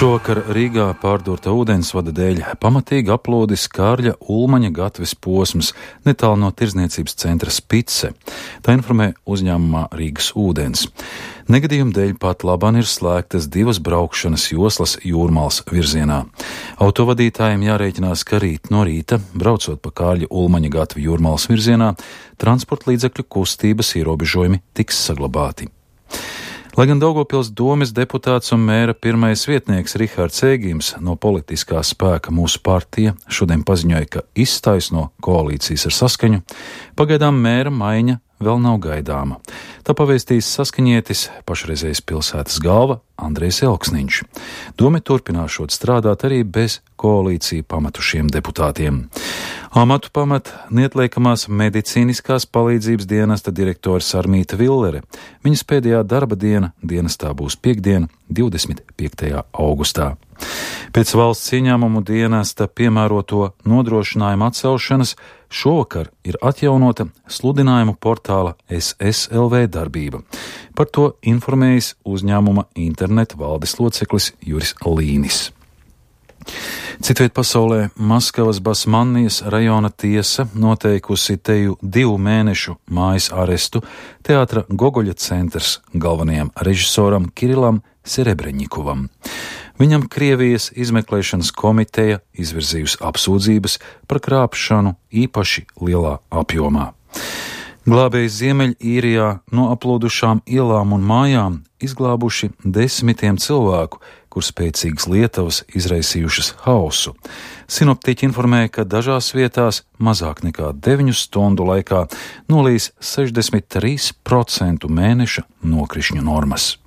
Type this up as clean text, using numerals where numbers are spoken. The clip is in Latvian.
Šovakar Rīgā pārdurta ūdensvada dēļ pamatīgi aplodis Kārļa Ulmaņa gatves posms netālu no tirdzniecības centra Spice. Tā informē uzņēmumā Rīgas ūdens. Negadījuma dēļ pat labāk ir slēgtas 2 braukšanas joslas Jūrmālas virzienā. Autovadītājiem jārēķinās, ka rīt no rīta, braucot pa Kārļa Ulmaņa gatvi Jūrmālas virzienā, transporta līdzekļu kustības ierobežojumi tiks saglabāti. Lai gan Daugavpils domes deputāts un mēra pirmais vietnieks Rihards Ēgims no politiskā spēka Mūsu partija šodien paziņoja, ka izstājas no koalīcijas ar Saskaņu, pagaidām mēra maiņa vēl nav gaidāma. Tā pavēstīs saskaņietis pašreizējais pilsētas galva Andrejs Elksniņš. Dome turpināšot strādāt arī bez koalīciju pametušiem deputātiem. Amatu pamet neatliekamās medicīniskās palīdzības dienesta direktore Sarmīta Villere. Viņas pēdējā darba diena dienestā būs piektdiena, 25. augustā. Pēc valsts ieņēmumu dienesta piemēroto nodrošinājumu atcelšanas šovakar ir atjaunota sludinājumu portāla SSLV darbība. Par to informējis uzņēmuma interneta valdes loceklis Juris Līnis. Citviet pasaulē Maskavas Basmannijas rajona tiesa noteikusi teju 2 mēnešu mājas arestu teātra Gogoļa centrs galvenajam režisoram Kirilam Serebreņikovam. Viņam Krievijas izmeklēšanas komiteja izvirzījusi apsūdzības par krāpšanu īpaši lielā apjomā. Glābēji Ziemeļīrijā no aplodušām ielām un mājām izglābuši 10 cilvēku, kur spēcīgas lietavas izraisījušas hausu. Sinoptiķi informēja, ka dažās vietās mazāk nekā 9 stundu laikā nolīs 63% mēneša nokrišņu normas.